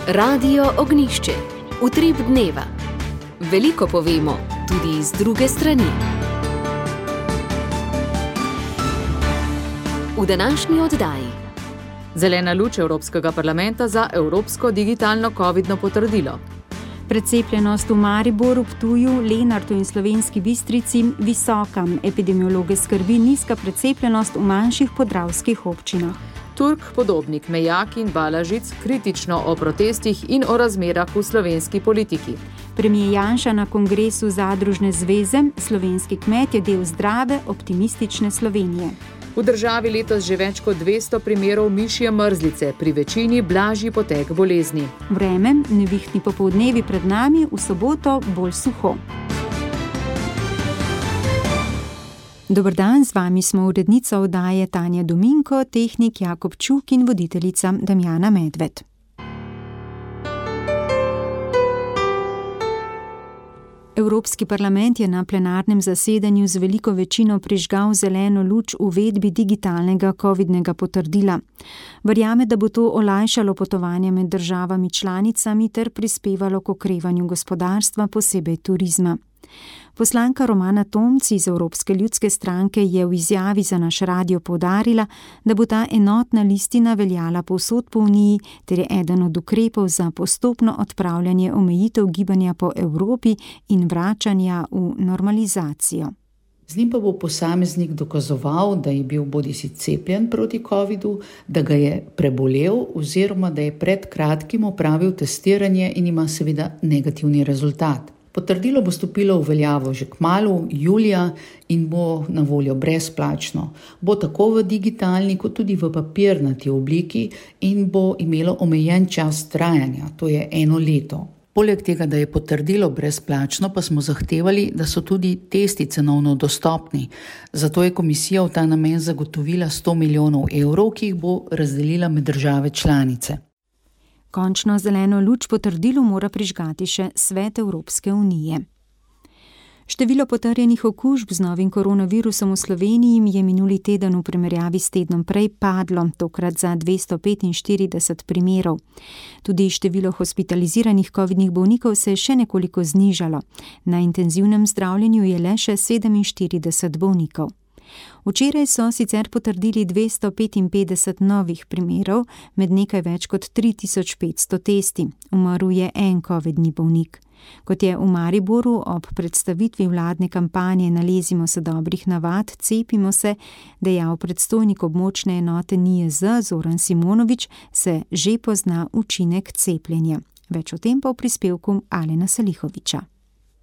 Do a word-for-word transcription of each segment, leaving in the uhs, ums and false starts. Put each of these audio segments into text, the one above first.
Radio Ognjišče. Utrip dneva. Veliko povemo, tudi z druge strani. V današnji oddaji. Zelena luč Evropskega parlamenta za evropsko digitalno covidno potrdilo. Precepljenost v Mariboru, Ptuju, Lenartu in Slovenski Bistrici visoka. Epidemiologe skrbi nizka precepljenost v manjših podravskih občinah. Turk, Podobnik, Mejak in Balažic kritično o protestih in o razmerah v slovenski politiki. Premier Janša na kongresu Zadružne zveze, slovenski kmet je del zdrave, optimistične Slovenije. V državi letos že več kot dvesto primerov mišje mrzlice, pri večini blažji potek bolezni. Vreme, nevihtni popoldnevi pred nami, v soboto bolj suho. Dober dan, z vami smo urednica oddaje Tanja Dominko, tehnik Jakob Čuk in voditeljica Damjana Medved. Evropski parlament je na plenarnem zasedanju z veliko večino prižgal zeleno luč uvedbi digitalnega covidnega potrdila. Verjame, da bo to olajšalo potovanje med državami članicami ter prispevalo k okrevanju gospodarstva, posebej turizma. Poslanka Romana Tomc iz Evropske ljudske stranke je v izjavi za naš radio poudarila, da bo ta enotna listina veljala povsod po Uniji ter je eden od ukrepov za postopno odpravljanje omejitev gibanja po Evropi in vračanja v normalizacijo. Z njim pa bo posameznik dokazoval, da je bil bodisi cepljen proti covidu, da ga je prebolel oziroma da je pred kratkim opravil testiranje in ima seveda negativni rezultat. Potrdilo bo stopilo v veljavo že kmalu, julija, in bo na voljo brezplačno. Bo tako v digitalni kot tudi v papirnati obliki in bo imelo omejen čas trajanja, to je eno leto. Poleg tega, da je potrdilo brezplačno, pa smo zahtevali, da so tudi testi cenovno dostopni. Zato je komisija v ta namen zagotovila sto milijonov evrov, ki jih bo razdelila med države članice. Končno zeleno luč potrdilu mora prižgati še Svet Evropske unije. Število potrjenih okužb z novim koronavirusom v Sloveniji je minuli teden v primerjavi s tednom prej padlo, tokrat za dvesto petinštirideset primerov. Tudi število hospitaliziranih covidnih bolnikov se je še nekoliko znižalo. Na intenzivnem zdravljenju je le še sedeminštirideset bolnikov. Včeraj so sicer potrdili dvesto petinpetdeset novih primerov, med nekaj več kot tri tisoč petsto testi. Umrl je en covidni bolnik. Kot je v Mariboru ob predstavitvi vladne kampanje Nalezimo se dobrih navad, cepimo se, dejal predstojnik območne enote N I J Z Zoran Simonovič, se že pozna učinek cepljenja. Več o tem pa v prispevku Alena Salihoviča.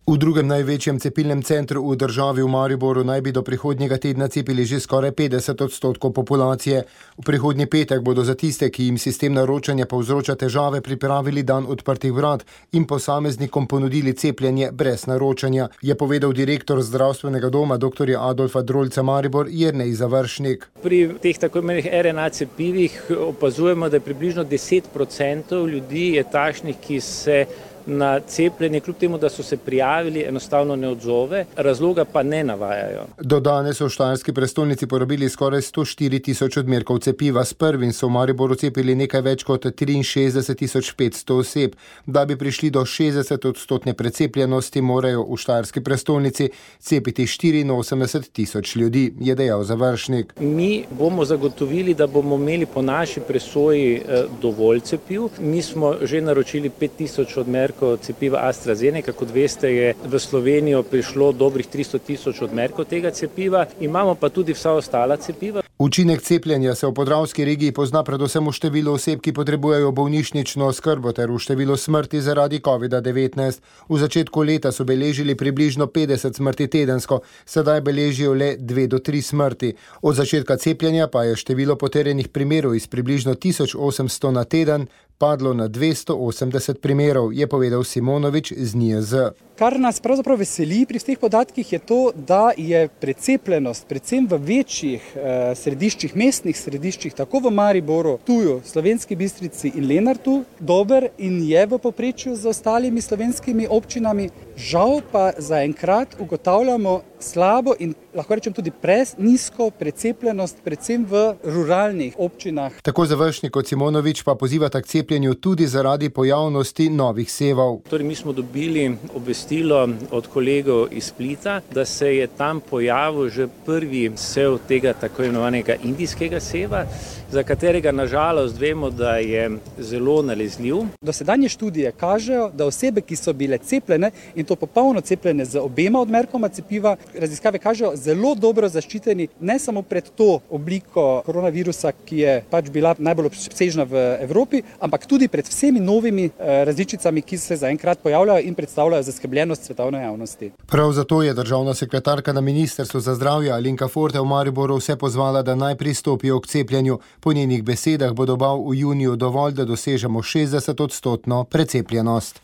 V drugem največjem cepilnem centru v državi v Mariboru naj bi do prihodnjega tedna cepili že skoraj petdeset odstotkov populacije. V prihodnji petek bodo za tiste, ki jim sistem naročanja povzroča težave, pripravili dan odprtih vrat in posameznikom ponudili cepljenje brez naročanja, je povedal direktor zdravstvenega doma dr. Adolfa Drolca Maribor Jernej Završnik. Pri teh tako imenih R N A cepivih opazujemo, da je približno deset procentov ljudi je takšnih, ki se na cepljenje, kljub temu, da so se prijavili, enostavno ne odzove, razloga pa ne navajajo. Do danes so v štajerski prestolnici porabili skoraj sto štiri tisoč odmerkov cepiva. S prvim so v Mariboru cepili nekaj več kot triinšestdeset tisoč petsto oseb. Da bi prišli do šestdeset odstotne precepljenosti, morajo v štajerski prestolnici cepiti štiriinosemdeset tisoč ljudi, je dejal Završnik. Mi bomo zagotovili, da bomo imeli po naši presoji dovolj cepiv. Mi smo že naročili pet tisoč odmerkov cepiva AstraZeneca, kot veste, je v Slovenijo prišlo dobrih tristo tisoč odmerkov tega cepiva, imamo pa tudi vsa ostala cepiva. Učinek cepljenja se v podravski regiji pozna predvsem v številu oseb, ki potrebujejo bolnišnično oskrbo ter v številu smrti zaradi covida devetnajst. V začetku leta so beležili približno petdeset smrti tedensko, sedaj beležijo le dve do tri smrti. Od začetka cepljenja pa je število potrjenih primerov iz približno tisoč osemsto na teden padlo na dvesto osemdeset primerov, je povedal Simonovič z N I J Z. Kar nas pravzaprav veseli pri teh podatkih je to, da je precepljenost predvsem v večjih eh, središčih, mestnih središčih, tako v Mariboru, Ptuju, Slovenski Bistrici in Lenartu, dober in je v povprečju z ostalimi slovenskimi občinami. Žal pa zaenkrat ugotavljamo slabo in lahko rečem tudi prenizko precepljenost, predvsem v ruralnih občinah. Tako Završnik kot Simonovič pa pozivata k cepljenju tudi zaradi pojavnosti novih sevov. Torej, mi smo dobili obvestilo od kolegov iz Splita, da se je tam pojavil že prvi sev tega tako imenovanega indijskega seva, za katerega nažalost vemo, da je zelo nalezljiv. Dosedanje študije kažejo, da osebe, ki so bile cepljene in to popolno cepljene z obema odmerkoma cepiva, raziskave kažejo zelo dobro zaščiteni ne samo pred to obliko koronavirusa, ki je pač bila najbolj obsežna v Evropi, ampak tudi pred vsemi novimi različicami, ki se zaenkrat pojavljajo in predstavljajo zaskrbljenost svetovne javnosti. Prav zato je državna sekretarka na Ministrstvu za zdravje Alenka Forte v Mariboru vse pozvala, da naj pristopijo k cepljenju. Po njenih besedah bo dobav v juniju dovolj, da dosežemo šestdeset odstotno precepljenost.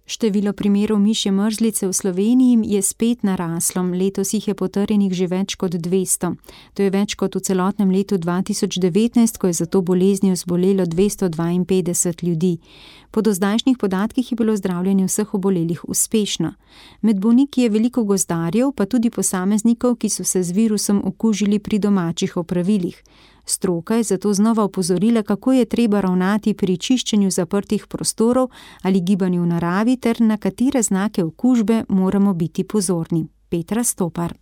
Število primerov mišje mrzlice v Sloveniji je spet naraslo, letos jih je potrjenih že več kot dvesto. To je več kot v celotnem letu dva tisoč devetnajst, ko je za to boleznijo zbolelo dvesto dvainpetdeset ljudi. Po dozdajšnjih podatkih je bilo zdravljenje vseh obolelih uspešno. Med bolniki je veliko gozdarjev, pa tudi posameznikov, ki so se z virusom okužili pri domačih opravilih. Stroka je zato znova opozorila, kako je treba ravnati pri čiščenju zaprtih prostorov ali gibanju v naravi ter na katere znake okužbe moramo biti pozorni. Petra Stopar.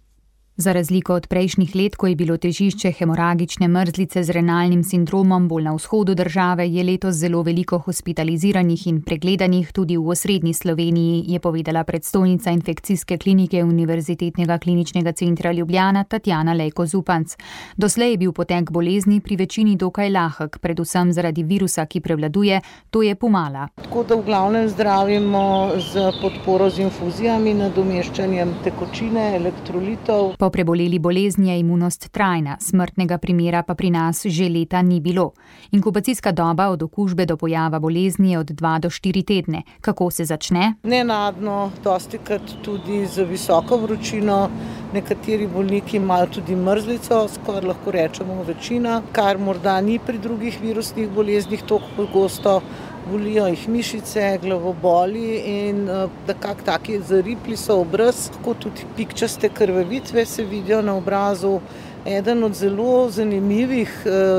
Za razliko od prejšnjih let, ko je bilo težišče hemoragične mrzlice z renalnim sindromom bolj na vzhodu države, je letos zelo veliko hospitaliziranih in pregledanih tudi v osrednji Sloveniji, je povedala predstojnica infekcijske klinike Univerzitetnega kliničnega centra Ljubljana Tatjana Lejko Zupanc. Doslej je bil potek bolezni pri večini dokaj lahek, predvsem zaradi virusa, ki prevladuje, to je pomala. Tako da v glavnem zdravimo z podporo z infuzijami, nadomeščanjem tekočine, elektrolitov. Po preboleli bolezni je imunost trajna, smrtnega primera pa pri nas že leta ni bilo. Inkubacijska doba od okužbe do pojava bolezni je od dva do štiri tedne. Kako se začne? Nenadno, dostikrat tudi z visoko vročino, nekateri bolniki imajo tudi mrzlico, skoraj lahko rečemo večina, kar morda ni pri drugih virusnih boleznih toliko pogosto. Bolijo jih mišice, glavoboli in nekako taki zaripli so obraz, tako tudi pikčaste krvavitve se vidijo na obrazu. Eden od zelo zanimivih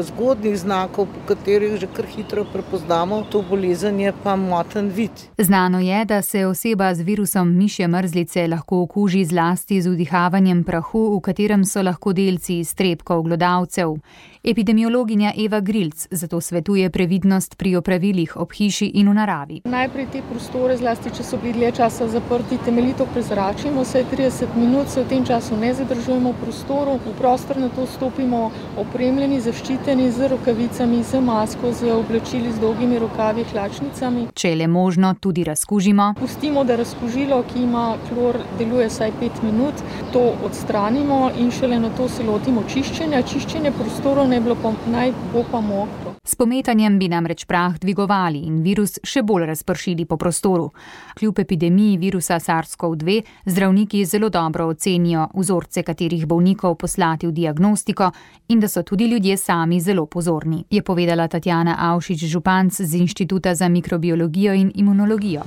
zgodnih znakov, po katerih že kar hitro prepoznamo to bolezen, je pa moten vid. Znano je, da se oseba z virusom mišje mrzlice lahko okuži zlasti z vdihavanjem prahu, v katerem so lahko delci iztrebkov glodavcev. Epidemiologinja Eva Grilc zato svetuje previdnost pri opravilih ob hiši in v naravi. Najprej te prostore, zlasti če so bili dlje časa zaprti, temeljito prezračimo, vsaj trideset minut, se v tem času ne zadržujemo v prostoru, v prostor na to stopimo opremljeni, zaščiteni z rokavicami, z masko, z oblačili z dolgimi rokavi, hlačnicami. Če je le možno, tudi razkužimo. Pustimo, da razkužilo, ki ima klor, deluje vsaj pet minut, to odstranimo in šele na to se lotimo čiščenja. Čiščenje prostorov ne bilo pa, naj bo pa mokro. S pometanjem bi namreč prah dvigovali in virus še bolj razpršili po prostoru. Kljub epidemiji virusa SARS-CoV dve zdravniki zelo dobro ocenijo vzorce katerih bolnikov poslati v diagnostiko in da so tudi ljudje sami zelo pozorni, je povedala Tatjana Avšič-Županc z Inštituta za mikrobiologijo in imunologijo.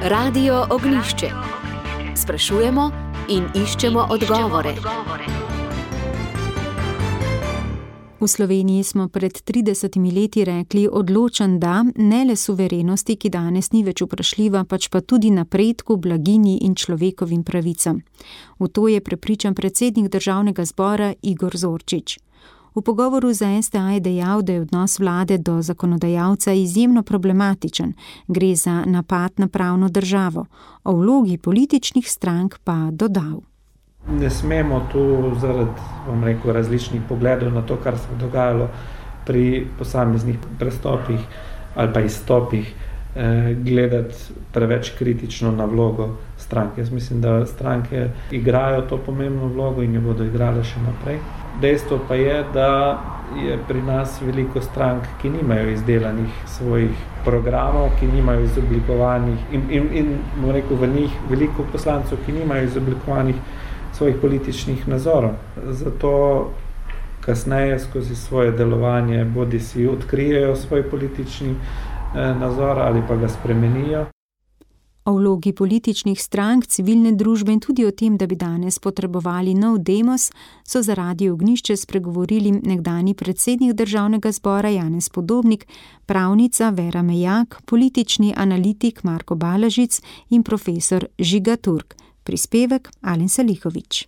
Radio Ognjišče. Sprašujemo in iščemo odgovore. V Sloveniji smo pred tridesetimi leti rekli odločen da, ne le suverenosti, ki danes ni več vprašljiva, pač pa tudi napredku, blaginji in človekovim pravicam. V to je prepričan predsednik Državnega zbora Igor Zorčič. V pogovoru za S T A je dejal, da je odnos vlade do zakonodajalca izjemno problematičen. Gre za napad na pravno državo. O vlogi političnih strank pa dodal. Ne smemo tu zaradi, bom rekel, različnih pogledov na to, kar se je dogajalo pri posameznih prestopih ali pa izstopih, eh, gledati preveč kritično na vlogo stranke. Jaz mislim, da stranke igrajo to pomembno vlogo in jo bodo igrale še naprej. Dejstvo pa je, da je pri nas veliko strank, ki nimajo izdelanih svojih programov, ki nimajo izoblikovanih in, in, in bom rekel, v njih veliko poslancev, ki nimajo izoblikovanih svojih političnih nazorov. Zato kasneje skozi svoje delovanje bodi si odkrijejo svoj politični eh, nazor ali pa ga spremenijo. O vlogi političnih strank, civilne družbe in tudi o tem, da bi danes potrebovali nov demos, so za Radio Ognjišče spregovorili nekdanji predsednik Državnega zbora Janez Podobnik, pravnica Vera Mejak, politični analitik Marko Balažic in profesor Žiga Turk. Prispevek Alen Salihović.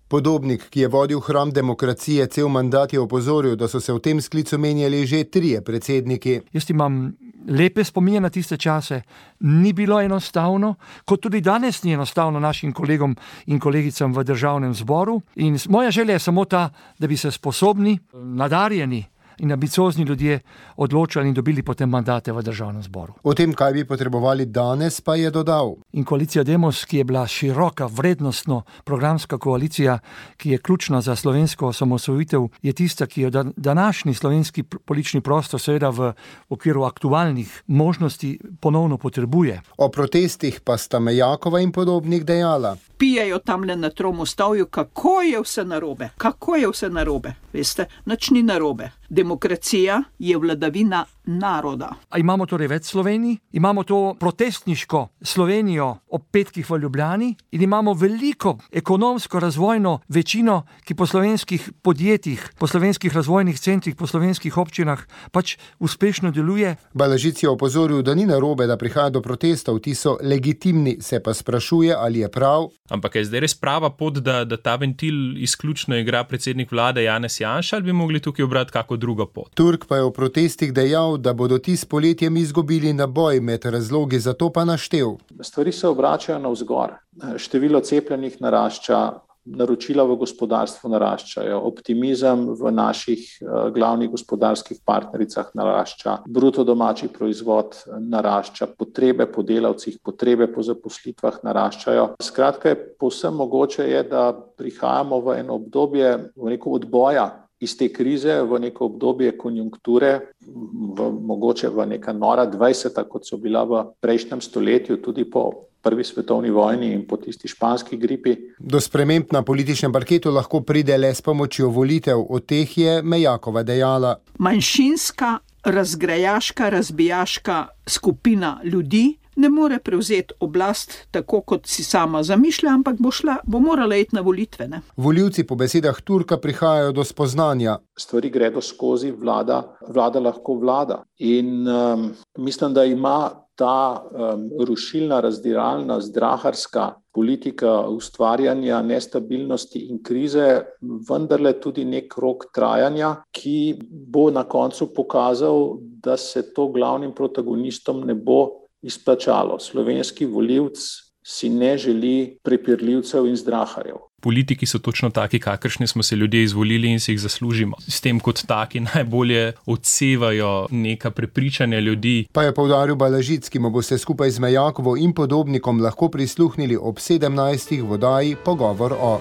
Podobnik, ki je vodil hram demokracije cel mandat, je opozoril, da so se v tem sklicu menjali že trije predsedniki. Jaz imam lepe spominje na tiste čase. Ni bilo enostavno, kot tudi danes ni enostavno našim kolegom in kolegicam v Državnem zboru. In moja želja je samo ta, da bi se sposobni, nadarjeni in ambiciozni ljudje odločali in dobili potem mandate v Državnem zboru. O tem, kaj bi potrebovali danes, pa je dodal. In koalicija Demos, ki je bila široka, vrednostno programska koalicija, ki je ključna za slovensko osamosvojitev, je tista, ki jo današnji slovenski politični prostor seveda v okviru aktualnih možnosti ponovno potrebuje. O protestih pa sta Mejakova in Podobnik dejala. Pijejo tamle na Tromostovju, kako je vse narobe, kako je vse narobe. Veste, nič ni narobe. Demokracija je vladavina naroda. A imamo torej več Slovenij, imamo to protestniško Slovenijo ob petkih v Ljubljani in imamo veliko ekonomsko razvojno večino, ki po slovenskih podjetjih, po slovenskih razvojnih centrih, po slovenskih občinah pač uspešno deluje. Balažic je opozoril, da ni narobe, da prihaja do protestov, ti so legitimni, se pa sprašuje, ali je prav. Ampak je zdaj res prava pot, da, da ta ventil izključno igra predsednik vlade Janez Janša, ali bi mogli tukaj obrati kako drugo pot? Turk pa je v protestih dejal, da bodo ti s poletjem izgubili naboj, med razlogi za to pa naštel. Stvari se obračajo navzgor. Število cepljenih narašča, naročila v gospodarstvu naraščajo, optimizem v naših uh, glavnih gospodarskih partnericah narašča, bruto domači proizvod narašča, potrebe po delavcih, potrebe po zaposlitvah naraščajo. Skratka, je povsem mogoče je, da prihajamo v eno obdobje, v neko odboja iz te krize, v neko obdobje konjunkture, v, mogoče v neka nora dvajseta, kot so bila v prejšnjem stoletju, tudi po prvi svetovni vojni in po tisti španski gripi. Do sprememb na političnem parketu lahko pride le s pomočjo volitev, o teh je Mejakova dejala. Manjšinska, razgrajaška, razbijaška skupina ljudi ne more prevzeti oblast tako, kot si sama zamišlja, ampak bo, šla, bo morala iti na volitve. Ne? Volivci po besedah Turka prihajajo do spoznanja. Stvari gredo skozi, vlada, vlada lahko vlada. In um, mislim, da ima ta um, rušilna, razdiralna, zdraharska politika ustvarjanja nestabilnosti in krize vendarle tudi nek rok trajanja, ki bo na koncu pokazal, da se to glavnim protagonistom ne bo izplačalo. Slovenski volivc si ne želi prepirljivcev in zdraharjev. Politiki so točno taki, kakršni smo se ljudje izvolili in si jih zaslužimo. S tem kot taki najbolje odsevajo neka prepričanja ljudi. Pa je poudaril Balažic, ki mu boste skupaj z Mejakovo in Podobnikom lahko prisluhnili ob sedemnajstih v oddaji Pogovor o.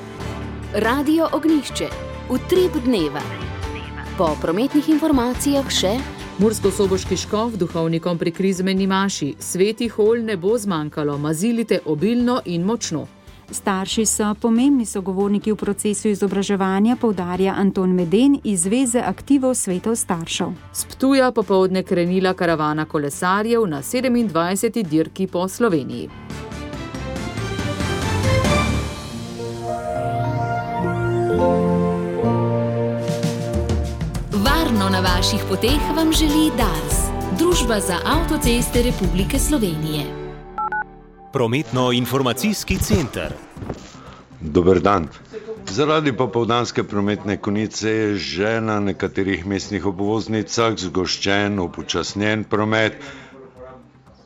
Radio Ognjišče. Utrip dneva. Po prometnih informacijah še Mursko-soboški škof duhovnikom pri krizmeni maši. Svetih olj ne bo zmanjkalo, mazilite obilno in močno. Starši so pomembni sogovorniki v procesu izobraževanja, poudarja Anton Meden iz Zveze aktivov svetov staršev. S Ptuja popoldne krenila karavana kolesarjev na sedemindvajseti dirki po Sloveniji. Varno na vaših poteh vam želi Dars, Družba za avtoceste Republike Slovenije. Prometno-informacijski center. Dober dan. Zaradi popoldanske prometne konice je že na nekaterih mestnih obvoznicah zgoščen, upočasnjen promet.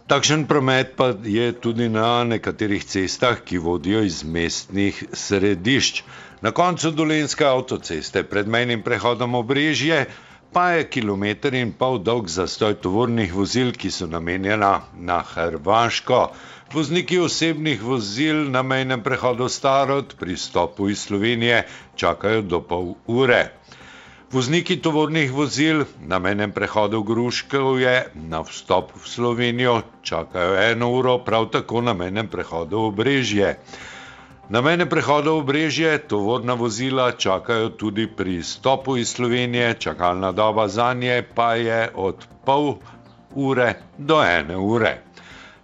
Takšen promet pa je tudi na nekaterih cestah, ki vodijo iz mestnih središč. Na koncu Dolenjske avtoceste pred mejnim prehodom Obrežje pa je kilometer in pol dolg zastoj tovornih vozil, ki so namenjena na Hrvaško. Vozniki osebnih vozil na mejnem prehodu Starod pri vstopu iz Slovenije čakajo do pol ure. Vozniki tovornih vozil na mejnem prehodu Gruškovje na vstop v Slovenijo čakajo eno uro, prav tako na mejnem prehodu Obrežje. Na mejnem prehodu Obrežje tovorna vozila čakajo tudi pri vstopu iz Slovenije, čakalna doba zanje pa je od pol ure do ene ure.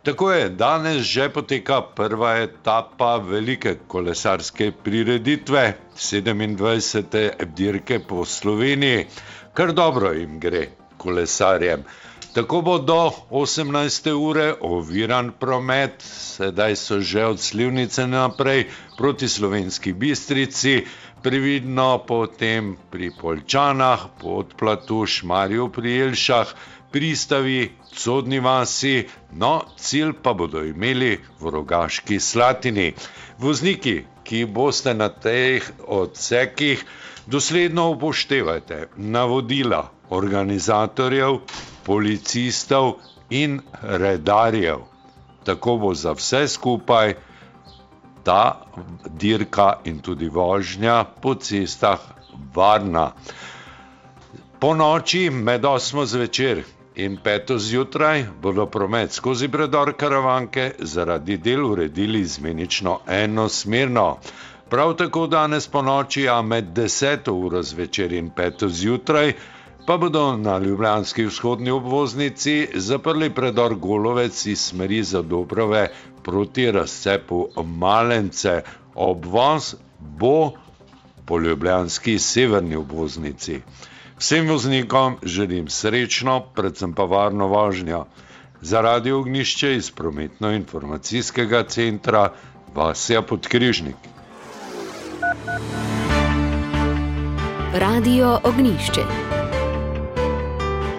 Tako je, danes že poteka prva etapa velike kolesarske prireditve, sedemindvajsete dirke po Sloveniji. Kar dobro jim gre kolesarjem. Tako bo do osemnajste ure oviran promet, sedaj so že od Slivnice naprej proti Slovenski Bistrici, previdno potem pri Poljčanah, Podplatu, Šmarju pri Jelšah, Pristavi, Codni vasi, no cilj pa bodo imeli v Rogaški Slatini. Vozniki, ki boste na teh odsekih, dosledno upoštevajte navodila organizatorjev, policistov in redarjev. Tako bo za vse skupaj ta dirka in tudi vožnja po cestah varna. Po noči med osmo zvečer in peto zjutraj bodo promet skozi predor Karavanke zaradi del uredili izmenično enosmerno. Prav tako danes po noči, a med deseto uro zvečer in peto zjutraj, pa bodo na ljubljanski vzhodni obvoznici zaprli predor Golovec iz smeri Zadobrove proti razcepu Malence. Obvoz bo po ljubljanski severni obvoznici. Vsem voznikom želim srečno, predvsem pa varno vožnjo. Za Radio Ognjišče iz prometno-informacijskega centra Vasja Podkrižnik. Radio Ognjišče.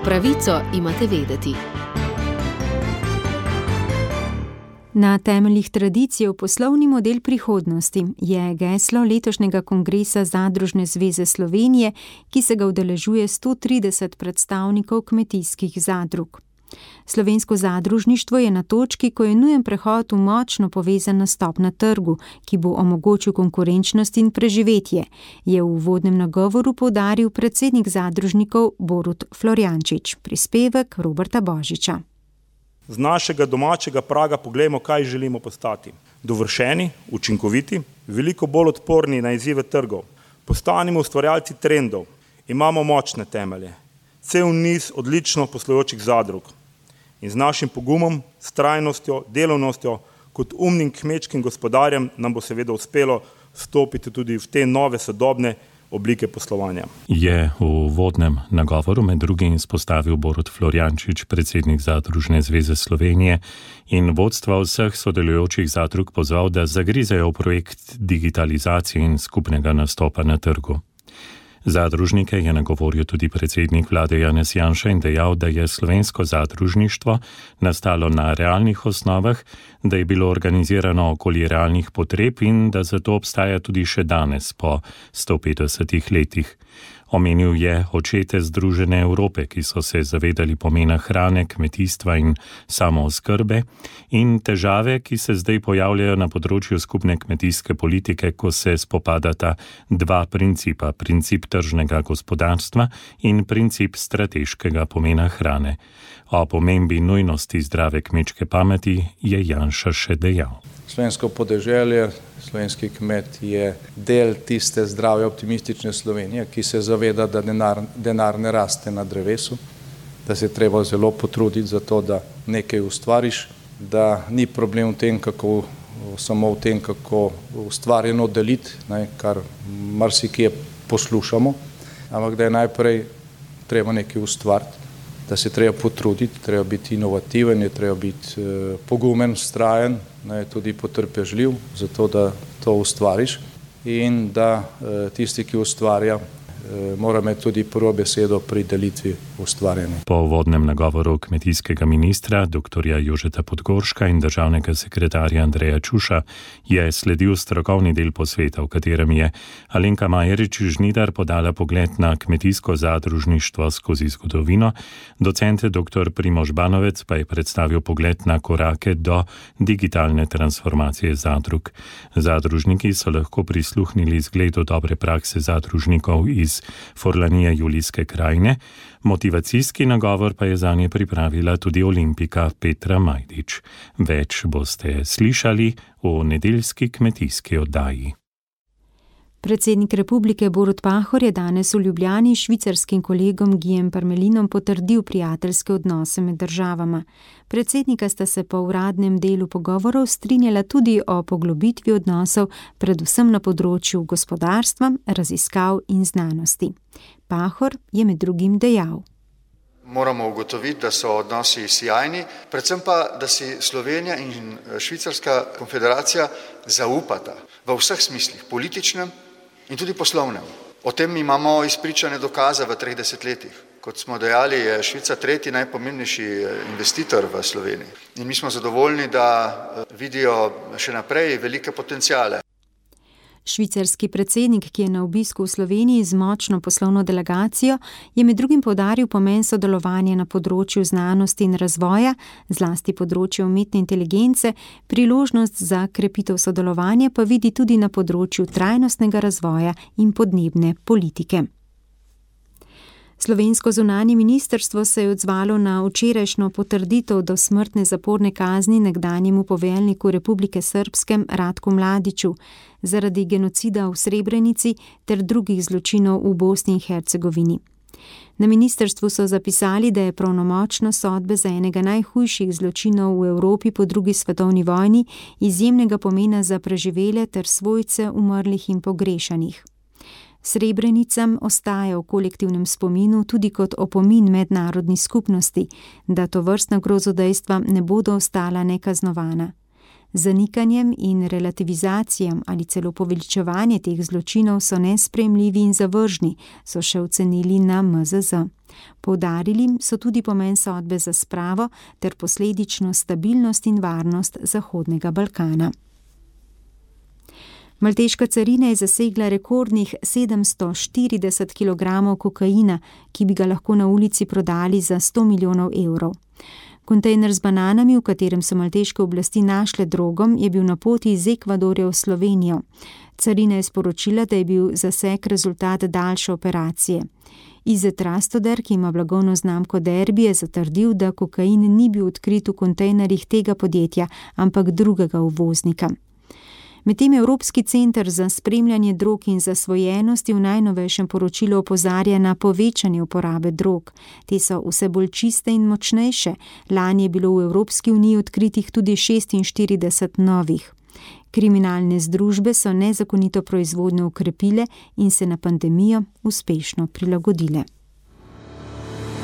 Pravico imate vedeti. Na temeljih tradicije v poslovni model prihodnosti je geslo letošnjega kongresa Zadružne zveze Slovenije, ki se ga udeležuje sto trideset predstavnikov kmetijskih zadrug. Slovensko zadružništvo je na točki, ko je nujen prehod v močno povezan nastop na trgu, ki bo omogočil konkurenčnost in preživetje, je v uvodnem nagovoru poudaril predsednik zadružnikov Borut Florjančič. Prispevek Roberta Božiča. Z našega domačega praga poglejmo, kaj želimo postati. Dovršeni, učinkoviti, veliko bolj odporni na izzive trgov. Postanimo ustvarjalci trendov. Imamo močne temelje. Cel niz odlično poslujočih zadrug. In z našim pogumom, strajnostjo, delovnostjo, kot umnim kmečkim gospodarjem nam bo seveda uspelo vstopiti tudi v te nove sodobne oblike poslovanja. Je v uvodnem nagovoru med drugim izpostavil Borut Florjančič, predsednik Zadružne zveze Slovenije, in vodstva vseh sodelujočih zadrug pozval, da zagrizejo v projekt digitalizacije in skupnega nastopa na trgu. Zadružnike je nagovoril tudi predsednik vlade Janez Janša in dejal, da je slovensko zadružništvo nastalo na realnih osnovah, da je bilo organizirano okoli realnih potreb in da zato obstaja tudi še danes po sto petdesetih letih. Omenil je očete Združene Evrope, ki so se zavedali pomena hrane, kmetijstva in samooskrbe, in težave, ki se zdaj pojavljajo na področju skupne kmetijske politike, ko se spopadata dva principa, princip tržnega gospodarstva in princip strateškega pomena hrane. O pomembi nujnosti zdrave kmečke pameti je Janša še dejal. Slovensko podeželje, slovenski kmet je del tiste zdrave optimistične Slovenije, ki se zaveda, da denar, denar ne raste na drevesu, da se treba zelo potruditi za to, da nekaj ustvariš, da ni problem v tem, kako, samo v tem, kako ustvarjeno deliti, ne, kar marsikje poslušamo, ampak da je najprej treba nekaj ustvariti, da se treba potruditi, treba biti inovativen, je treba biti eh, pogumen, vztrajen, ne, tudi potrpežljiv, zato da to ustvariš in da eh, tisti, ki ustvarja, eh, mora imeti tudi prvo besedo pri delitvi ustvarjanja. Po uvodnem nagovoru kmetijskega ministra, doktorja Jožeta Podgorška in državnega sekretarja Andreja Čuša je sledil strokovni del posveta, v katerem je Alenka Majerič Žnidar podala pogled na kmetijsko zadružništvo skozi zgodovino, docent doktor Primož Banovec pa je predstavil pogled na korake do digitalne transformacije zadrug. Zadružniki so lahko prisluhnili zgledu dobre prakse zadružnikov iz Forlanije Julijske krajine, motivacijski nagovor pa je zanje pripravila tudi olimpika Petra Majdič. Več boste slišali v nedeljski kmetijski oddaji. Predsednik republike Borut Pahor je danes v Ljubljani švicarskim kolegom Guijem Parmelinom potrdil prijateljske odnose med državama. Predsednika sta se po uradnem delu pogovorov strinjala tudi o poglobitvi odnosov, predvsem na področju gospodarstva, raziskav in znanosti. Pahor je med drugim dejal: Moramo ugotoviti, da so odnosi sjajni, predvsem pa, da si Slovenija in Švicarska konfederacija zaupata v vseh smislih, političnem in tudi poslovnem. O tem imamo izpričane dokaze v treh desetletjih. Kot smo dejali, je Švica tretji najpomembnejši investitor v Sloveniji. In mi smo zadovoljni, da vidijo še naprej velike potencijale. Švicarski predsednik, ki je na obisku v Sloveniji z močno poslovno delegacijo, je med drugim poudaril pomen sodelovanja na področju znanosti in razvoja, zlasti področju umetne inteligence, priložnost za krepitev sodelovanja pa vidi tudi na področju trajnostnega razvoja in podnebne politike. Slovensko zunanje ministrstvo se je odzvalo na včerajšnjo potrditev dosmrtne zaporne kazni nekdanjemu poveljniku Republike Srbske Ratku Mladiću zaradi genocida v Srebrenici ter drugih zločinov v Bosni in Hercegovini. Na ministrstvu so zapisali, da je pravnomočna sodba za enega najhujših zločinov v Evropi po drugi svetovni vojni izjemnega pomena za preživele ter svojce umrlih in pogrešanih. Srebrenicam ostaja v kolektivnem spominu tudi kot opomin mednarodni skupnosti, da tovrstna grozodejstva ne bodo ostala nekaznovana. Zanikanjem in relativizacijam ali celo poveličevanje teh zločinov so nesprejemljivi in zavržni, so še ocenili na M Z Z. Poudarili so tudi pomen sodbe za spravo ter posledično stabilnost in varnost Zahodnega Balkana. Malteška carina je zasegla rekordnih sedemsto štirideset kilogramov kokaina, ki bi ga lahko na ulici prodali za sto milijonov evrov. Kontejner z bananami, v katerem so malteške oblasti našle drogom, je bil na poti iz Ekvadorja v Slovenijo. Carina je sporočila, da je bil zaseg rezultat daljše operacije. Izet Rastoder, ki ima blagovno znamko Derby, je zatrdil, da kokain ni bil odkrit v kontejnerjih tega podjetja, ampak drugega uvoznika. Medtem Evropski center za spremljanje drog in zasvojenosti v najnovejšem poročilu opozarja na povečanje uporabe drog. Te so vse bolj čiste in močnejše. Lani je bilo v Evropski uniji odkritih tudi šestinštirideset novih. Kriminalne združbe so nezakonito proizvodnjo ukrepile in se na pandemijo uspešno prilagodile.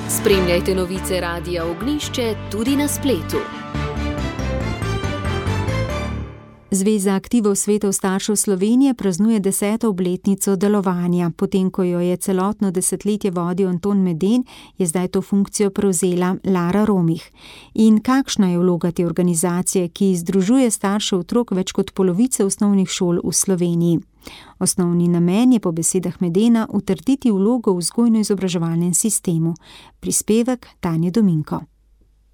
Spremljajte novice Radia Ognjišče tudi na spletu. Zveza aktivov svetov staršev Slovenije praznuje deseto obletnico delovanja. Potem, ko jo je celotno desetletje vodil Anton Meden, je zdaj to funkcijo prevzela Lara Romih. In kakšna je vloga te organizacije, ki združuje starše otrok več kot polovice osnovnih šol v Sloveniji? Osnovni namen je po besedah Medena utrditi vlogo v vzgojno-izobraževalnem sistemu. Prispevek Tanje Dominko.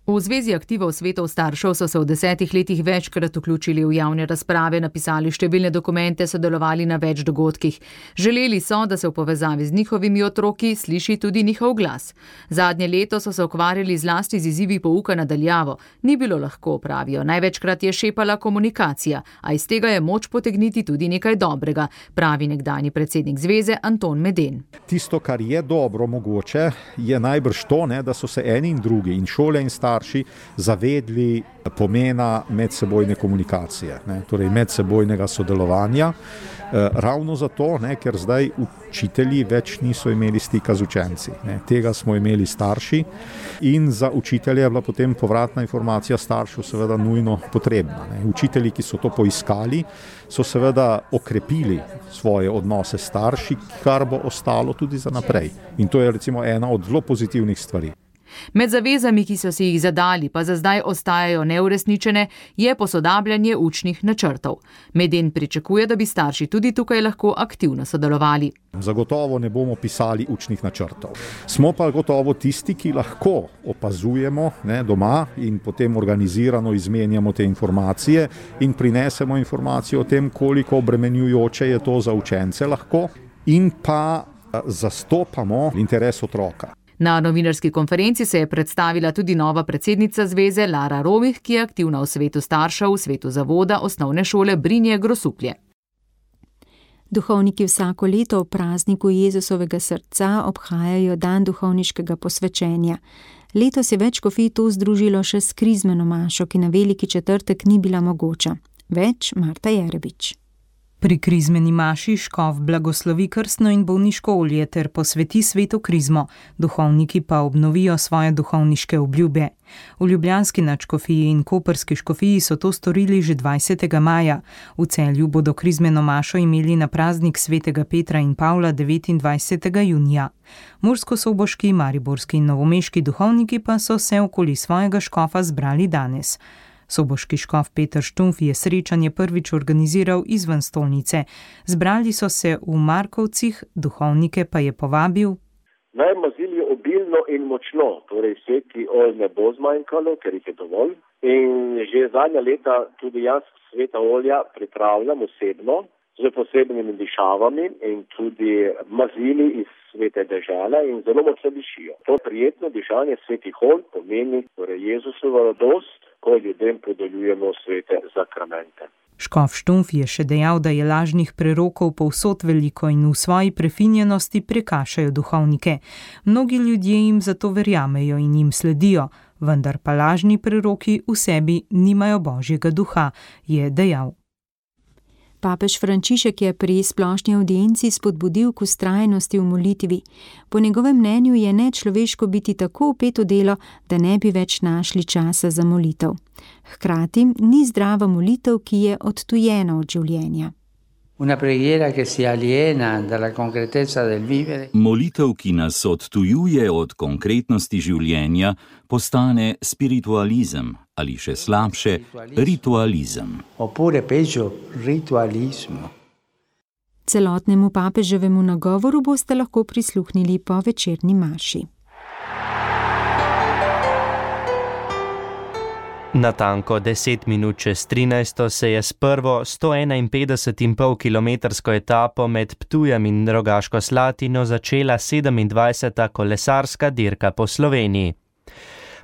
V Zvezi aktivov svetov staršev so se v desetih letih večkrat vključili v javne razprave, napisali številne dokumente, sodelovali na več dogodkih. Želeli so, da se v povezavi z njihovimi otroki sliši tudi njihov glas. Zadnje leto so se ukvarjali zlasti z izzivi pouka nadaljavo. Ni bilo lahko, pravijo. Največkrat je šepala komunikacija, a iz tega je moč potegniti tudi nekaj dobrega, pravi nekdanji predsednik zveze Anton Meden. Tisto, kar je dobro mogoče, je najbrž to, ne, da so se eni in drugi in šole in starši zavedli pomena medsebojne komunikacije, ne, torej medsebojnega sodelovanja. E, ravno zato, ne, ker zdaj učitelji več niso imeli stika z učenci. Ne. Tega smo imeli starši in za učitelje je bila potem povratna informacija staršev seveda nujno potrebna. Ne. Učitelji, ki so to poiskali, so seveda okrepili svoje odnose s starši, kar bo ostalo tudi za naprej. In to je recimo ena od zelo pozitivnih stvari. Med zavezami, ki so si jih zadali, pa za zdaj ostajajo neuresničene, je posodabljanje učnih načrtov. Meden pričakuje, da bi starši tudi tukaj lahko aktivno sodelovali. Zagotovo ne bomo pisali učnih načrtov. Smo pa gotovo tisti, ki lahko opazujemo, ne, doma in potem organizirano izmenjamo te informacije in prinesemo informacijo o tem, koliko obremenjujoče je to za učence lahko in pa zastopamo interes otroka. Na novinarski konferenci se je predstavila tudi nova predsednica zveze Lara Romih, ki je aktivna v svetu staršev, v svetu zavoda osnovne šole Brinje Grosuplje. Duhovniki vsako leto ob prazniku Jezusovega srca obhajajo dan duhovniškega posvečenja. Letos je več škofij to združilo še s krizmeno mašo, ki na Veliki četrtek ni bila mogoča. Več Marta Jerebič. Pri krizmeni maši škof blagoslovi krstno in bolniško olje ter posveti sveto krizmo, duhovniki pa obnovijo svoje duhovniške obljube. V ljubljanski nadškofiji in koprski škofiji so to storili že dvajsetega maja. V Celju bodo krizmeno mašo imeli na praznik svetega Petra in Pavla devetindvajsetega junija. Murskosoboški, mariborski in novomeški duhovniki pa so se okoli svojega škofa zbrali danes. Soboški škof Peter Štumf je srečanje prvič organiziral izven stolnice. Zbrali so se v Markovcih, duhovnike pa je povabil: Naj mazili obilno in močno, torej sveti olj ne bo zmanjkalo, ker jih je dovolj. In že zadnja leta tudi jaz sveta olja pripravljam osebno, z posebnimi dišavami in tudi mazili iz svete dežele in zelo močno dišijo. To prijetno dišanje svetih olj pomeni torej Jezusovo radost, ko ljudem podeljujemo svete zakramente. Škof Štumf je še dejal, da je lažnih prerokov povsod veliko in v svoji prefinjenosti prekašajo duhovnike. Mnogi ljudje jim zato verjamejo in jim sledijo, vendar pa lažni preroki v sebi nimajo Božjega duha, je dejal. Papež Frančišek je pri splošni avdienci spodbudil k vztrajnosti v molitvi. Po njegovem mnenju je nečloveško biti tako vpet v delo, da ne bi več našli časa za molitev. Hkrati ni zdrava molitev, ki je odtujena od življenja. Molitev, ki nas odtujuje od konkretnosti življenja, postane spiritualizem ali še slabše, ritualizem. Celotnemu papeževemu nagovoru boste lahko prisluhnili po večerni maši. Natanko deset minut čez trinajsto se je s prvo sto enainpetdeset in pol kilometrsko etapo med Ptujem in Rogaško Slatino začela sedemindvajseta kolesarska dirka po Sloveniji.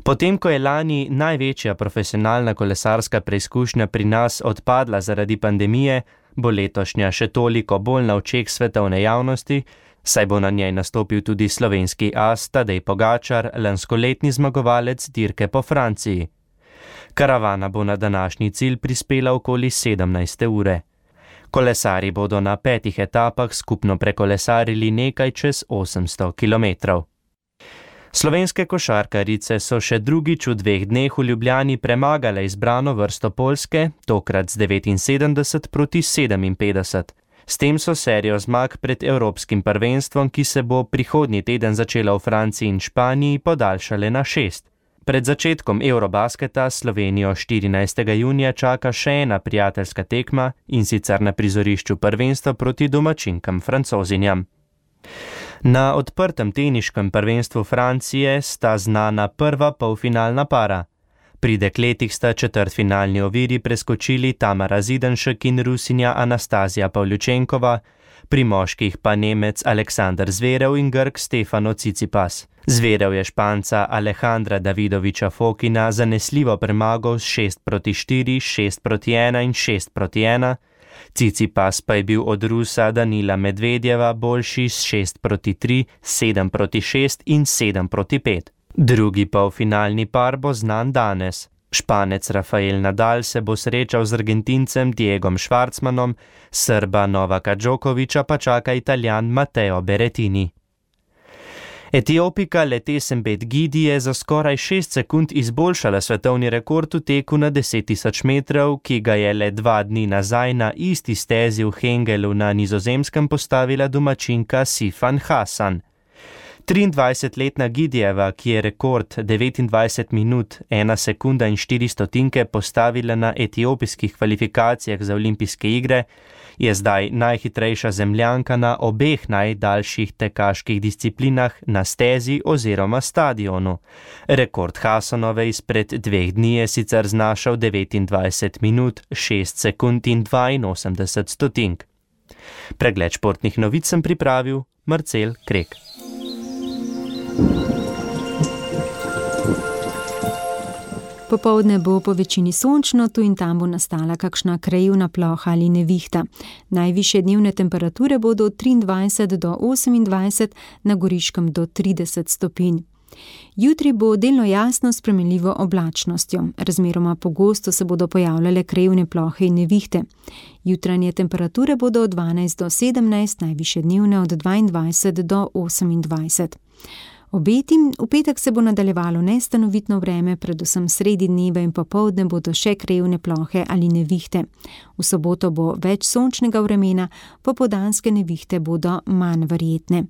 Potem, ko je lani največja profesionalna kolesarska preizkušnja pri nas odpadla zaradi pandemije, bo letošnja še toliko bolj na očeh svetovne javnosti, saj bo na njej nastopil tudi slovenski as Tadej Pogačar, lanskoletni zmagovalec dirke po Franciji. Karavana bo na današnji cilj prispela okoli sedemnajste ure. Kolesarji bodo na petih etapah skupno prekolesarili nekaj čez osemsto kilometrov. Slovenske košarkarice so še drugič v dveh dneh v Ljubljani premagale izbrano vrsto Poljske, tokrat z devetinsedemdeset proti sedeminpetdeset. S tem so serijo zmag pred Evropskim prvenstvom, ki se bo prihodnji teden začela v Franciji in Španiji, podaljšale na šest. Pred začetkom Eurobasketa Slovenijo štirinajstega junija čaka še ena prijateljska tekma, in sicer na prizorišču prvenstva proti domačinkam Francozinjam. Na odprtem teniškem prvenstvu Francije sta znana prva polfinalna para. Pri dekletih sta četrtfinalni oviri preskočili Tamara Zidanšek in Rusinja Anastazija Pavljučenkova, pri moških pa Nemec Aleksander Zverev in Grk Stefano Tsitsipas. Zverev je Španca Alejandra Davidoviča Fokina zanesljivo premagal s šest proti štiri, šest proti ena in šest proti ena, Tsitsipas pa je bil od Rusa Danila Medvedjeva boljši s šest proti tri, sedem proti šest in sedem proti pet. Drugi polfinalni par bo znan danes. Španec Rafael Nadal se bo srečal z Argentincem Diegom Schwartzmanom, Srba Novaka Djokoviča pa čaka Italijan Matteo Berrettini. Etiopika Letesenbet Gidi je za skoraj šest sekund izboljšala svetovni rekord v teku na deset tisoč metrov, ki ga je le dva dni nazaj na isti stezi v Hengelu na Nizozemskem postavila domačinka Sifan Hasan. triindvajsetletna Gidijeva, ki je rekord devetindvajset minut, ena sekunda in štiri stotinke postavila na etiopijskih kvalifikacijah za olimpijske igre, je zdaj najhitrejša zemljanka na obeh najdaljših tekaških disciplinah na stezi oziroma stadionu. Rekord Hasanove izpred dveh dni je sicer znašal devetindvajset minut, šest sekund in dvainosemdeset stotink. Pregled športnih novic sem pripravil Marcel Krek. Popoldne bo po večini sončno, tu in tam bo nastala kakšna krajevna ploha ali nevihta. Najvišje dnevne temperature bodo od triindvajset do osemindvajset, na Goriškem do trideset stopinj. Jutri bo delno jasno s spremenljivo oblačnostjo. Razmeroma pogosto se bodo pojavljale krajevne plohe in nevihte. Jutranje temperature bodo od dvanajst do sedemnajst, najvišje dnevne od dvaindvajset do osemindvajset. Obeti, v petek se bo nadaljevalo nestanovitno vreme, predvsem sredi dneva in popoldne bodo še krajevne plohe ali nevihte. V soboto bo več sončnega vremena, popoldanske nevihte bodo manj verjetne.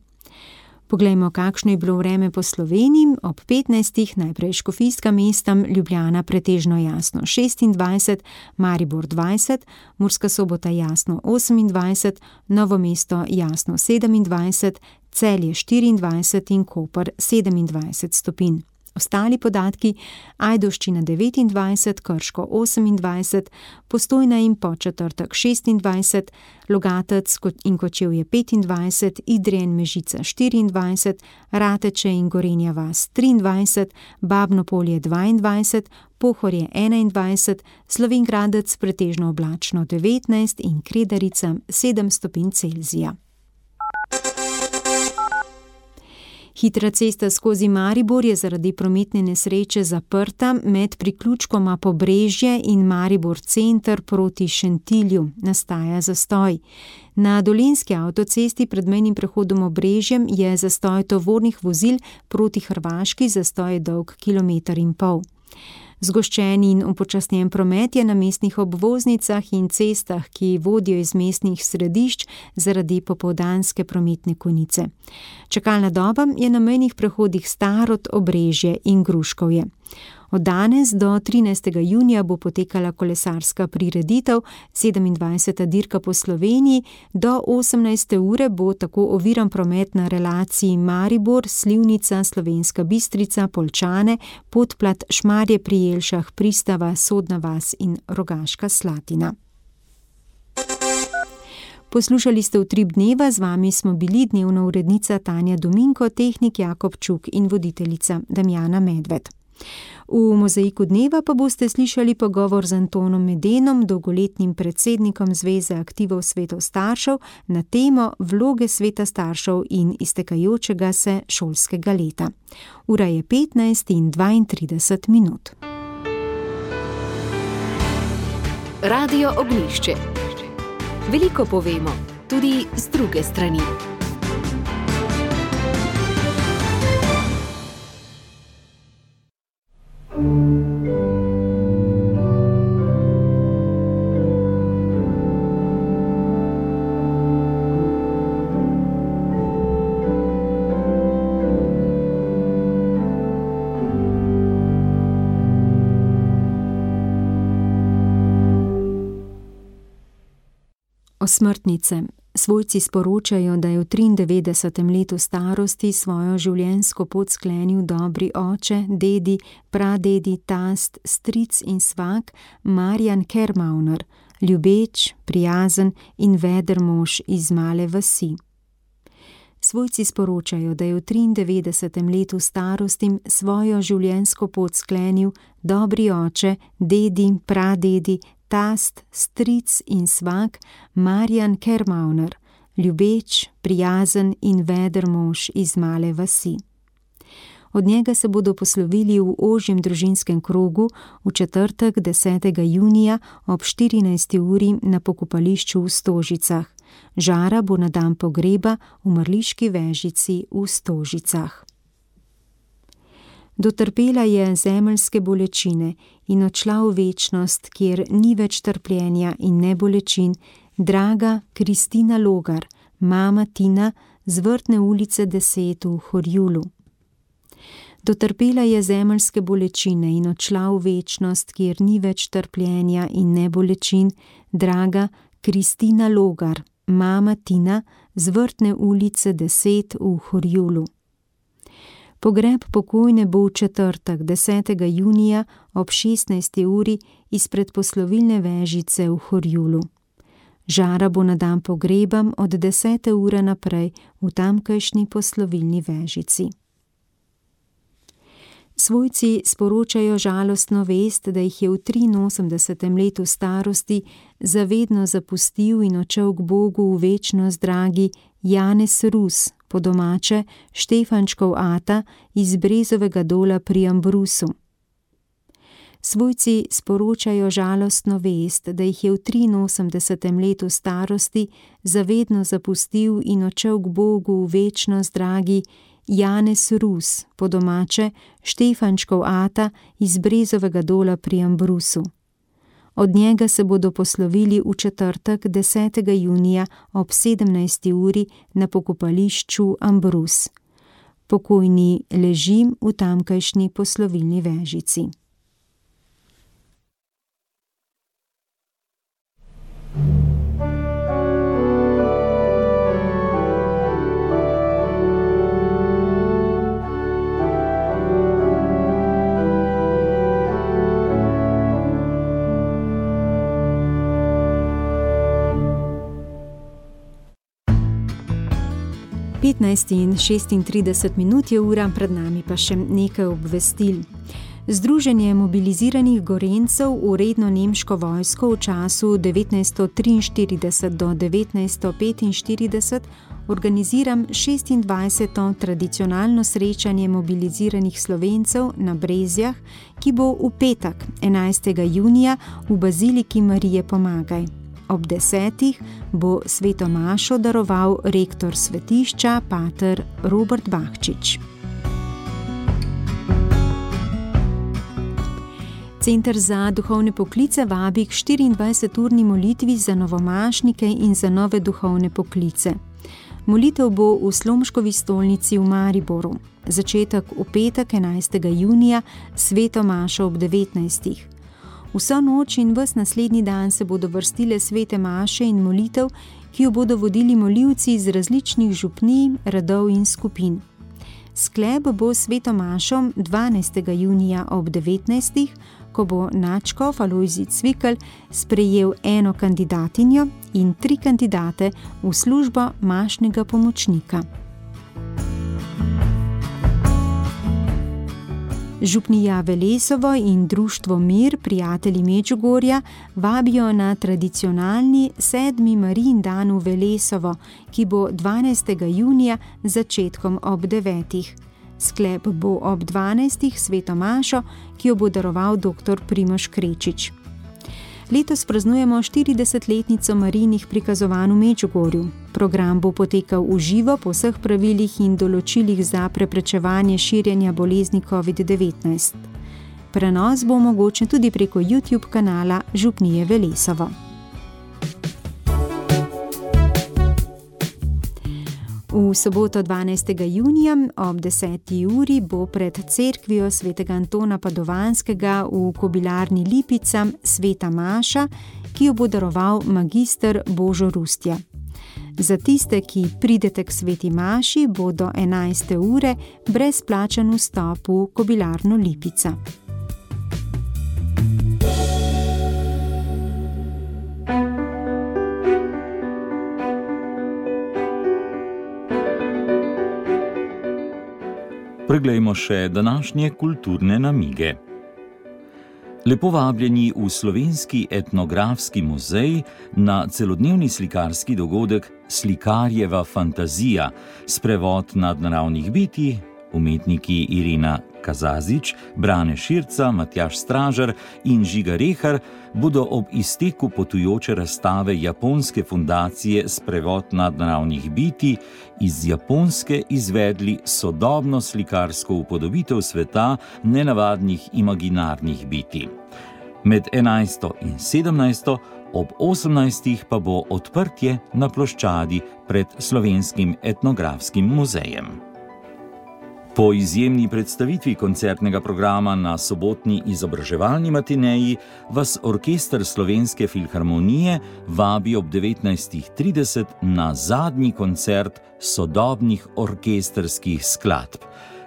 Poglejmo, kakšno je bilo vreme po Sloveniji. Ob petnajstih najprej škofijska mesta, Ljubljana pretežno jasno šestindvajset, Maribor dvajset, Murska Sobota jasno osemindvajset, Novo mesto jasno sedemindvajset, Celje štiriindvajset in Koper sedemindvajset stopinj. Ostali podatki: Ajdovščina devetindvajset, Krško osemindvajset, Postojna in Podčetrtek šestindvajset, Logatec in Kočevje petindvajset, Idrija in Mežica štiriindvajset, Rateče in Gorenja vas triindvajset, Babno Polje dvaindvajset, Pohorje enaindvajset, Slovenj Gradec pretežno oblačno devetnajst in Kredarica sedem stopinj Celzija. Hitra cesta skozi Maribor je zaradi prometne nesreče zaprta med priključkoma Pobrežje in Maribor center proti Šentilju. Nastaja zastoj. Na Dolenjski avtocesti pred mejnim prehodom Obrežjem je zastoj tovornih vozil, proti Hrvaški zastoj je dolg kilometer in pol. Zgoščen in upočasnjen promet je na mestnih obvoznicah in cestah, ki vodijo iz mestnih središč zaradi popoldanske prometne konice. Čakalna doba je na mejnih prehodih Starod, Obrežje in Gruškovje. Od danes do trinajstega junija bo potekala kolesarska prireditev, sedemindvajseta dirka po Sloveniji. Do osemnajste ure bo tako oviran promet na relaciji Maribor, Slivnica, Slovenska Bistrica, Poljčane, Podplat, Šmarje pri Jelšah, Pristava, Sodna vas in Rogaška Slatina. Poslušali ste Utrip dneva, z vami smo bili dnevna urednica Tanja Dominko, tehnik Jakob Čuk in voditeljica Damjana Medved. V Mozaiku dneva pa boste slišali pogovor z Antonom Medenom, dolgoletnim predsednikom Zveze aktivov svetov staršev, na temo vloge sveta staršev in iztekajočega se šolskega leta. Ura je petnajst in dvaintrideset minut. Radio Ognjišče. Veliko povemo, tudi z druge strani. Osmrtnice. Svojci sporočajo, da je v triindevetdesetem letu starosti svojo življenjsko pot sklenil dobri oče, dedi, pradedi, tast, stric in svak Marjan Kermauner, ljubeč, prijazen in veder mož iz male vasi. Svojci sporočajo, da je v triindevetdesetem letu starosti svojo življenjsko pot sklenil dobri oče, dedi, pradedi, tast, stric in svak Marjan Kermauner, ljubeč, prijazen in veder mož iz male vasi. Od njega se bodo poslovili v ožjem družinskem krogu v četrtek desetega junija ob štirinajsti uri na pokopališču v Stožicah. Žara bo na dan pogreba v mrliški vežici v Stožicah. Dotrpela je zemeljske bolečine in odšla v večnost, kjer ni več trpljenja in ne bolečin, draga Kristina Logar, mama Tina z Vrtne ulice deset v Horjulu. Dotrpela je zemeljske bolečine in odšla v večnost, kjer ni več trpljenja in ne bolečin, draga Kristina Logar, mama Tina z Vrtne ulice deset v Horjulu. Pogreb pokojne bo v četrtek desetega junija ob šestnajsti uri izpred poslovilne vežice v Horjulu. Žara bo na dan pogreba od desete ure naprej v tamkajšnji poslovilni vežici. Svojci sporočajo žalostno vest, da jih je v triinosemdesetem letu starosti zavedno zapustil in odšel k Bogu v večnost dragi Janez Rus, po domače Štefančkov ata iz Brezovega dola pri Ambrusu. Svojci sporočajo žalostno vest, da jih je v triinosemdesetem letu starosti zavedno zapustil in odšel k Bogu v večnost dragi Janez Rus, po domače Štefančkov ata iz Brezovega dola pri Ambrusu. Od njega se bodo poslovili v četrtek desetega junija ob sedemnajsti uri na pokopališču Ambrus. Pokojni leži v tamkajšnji poslovilni vežici. petnajst in šestintrideset minut je ura, pred nami pa še nekaj obvestil. Združenje mobiliziranih Gorenjcev v redno nemško vojsko v času devetnajststo triinštirideset do devetnajststo petinštirideset organizira šestindvajseto tradicionalno srečanje mobiliziranih Slovencev na Brezjah, ki bo v petek, enajstega junija, v baziliki Marije Pomagaj. Ob desetih bo sveto mašo daroval rektor svetišča, pater Robert Bahčič. Center za duhovne poklice vabi k štiriindvajseturni molitvi za novomašnike in za nove duhovne poklice. Molitev bo v Slomškovi stolnici v Mariboru. Začetek v petek, enajstega junija, sveto mašo ob devetnajstih. Vso noč in ves naslednji dan se bodo vrstile svete maše in molitev, ki jo bodo vodili molivci iz različnih župnij, radov in skupin. Sklep bo sveto mašo dvanajstega junija ob devetnajstih, ko bo nadškof Alojzij Cvikl sprejel eno kandidatinjo in tri kandidate v službo mašnega pomočnika. Župnija Velesovo in društvo Mir, prijatelji Medžugorja, vabijo na tradicionalni sedmi Marijin dan v Velesovo, ki bo dvanajstega junija z začetkom ob devetih. Sklep bo ob dvanajstih sveto mašo, ki jo bo daroval doktor Primož Krečič. Letos praznujemo štiridesetletnico Marijinih prikazovanj v Medžugorju. Program bo potekal v živo po vseh pravilih in določilih za preprečevanje širjenja bolezni covid devetnajst. Prenos bo omogočen tudi preko YouTube kanala Župnije Velesovo. V soboto dvanajstega junija ob deseti uri bo pred cerkvijo svetega Antona Padovanskega v kobilarni Lipica sveta maša, ki jo bo daroval magister Božo Rustja. Za tiste, ki pridete k sveti maši, bo do enajste ure brezplačen vstop v kobilarno Lipica. Preglejmo še današnje kulturne namige. Lepo vabljeni v Slovenski etnografski muzej na celodnevni slikarski dogodek Slikarjeva fantazija, sprevod nadnaravnih bitij, umetniki Irina Kazazič, Brane Širca, Matjaž Stražar in Žiga Rehar bodo ob izteku potujoče razstave japonske fundacije Sprevod nadnaravnih bitij iz Japonske izvedli sodobno slikarsko upodobitev sveta nenavadnih imaginarnih bitij. Med enajsto in sedemnajsto, ob osemnajstih pa bo odprtje na ploščadi pred Slovenskim etnografskim muzejem. Po izjemni predstavitvi koncertnega programa na sobotni izobraževalni matineji vas Orkester Slovenske filharmonije vabi ob devetnajstih trideset na zadnji koncert sodobnih orkestrskih skladb.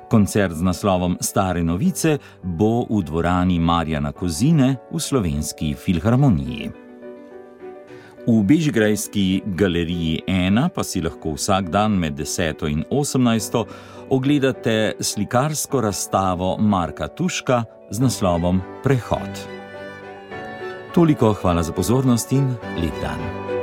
Koncert z naslovom Stare novice bo v dvorani Marjana Kozine v Slovenski filharmoniji. V Bežigrajski galeriji ena pa si lahko vsak dan med deseto in osemnajsto ogledate slikarsko razstavo Marka Tuška z naslovom Prehod. Toliko, hvala za pozornost in lep dan.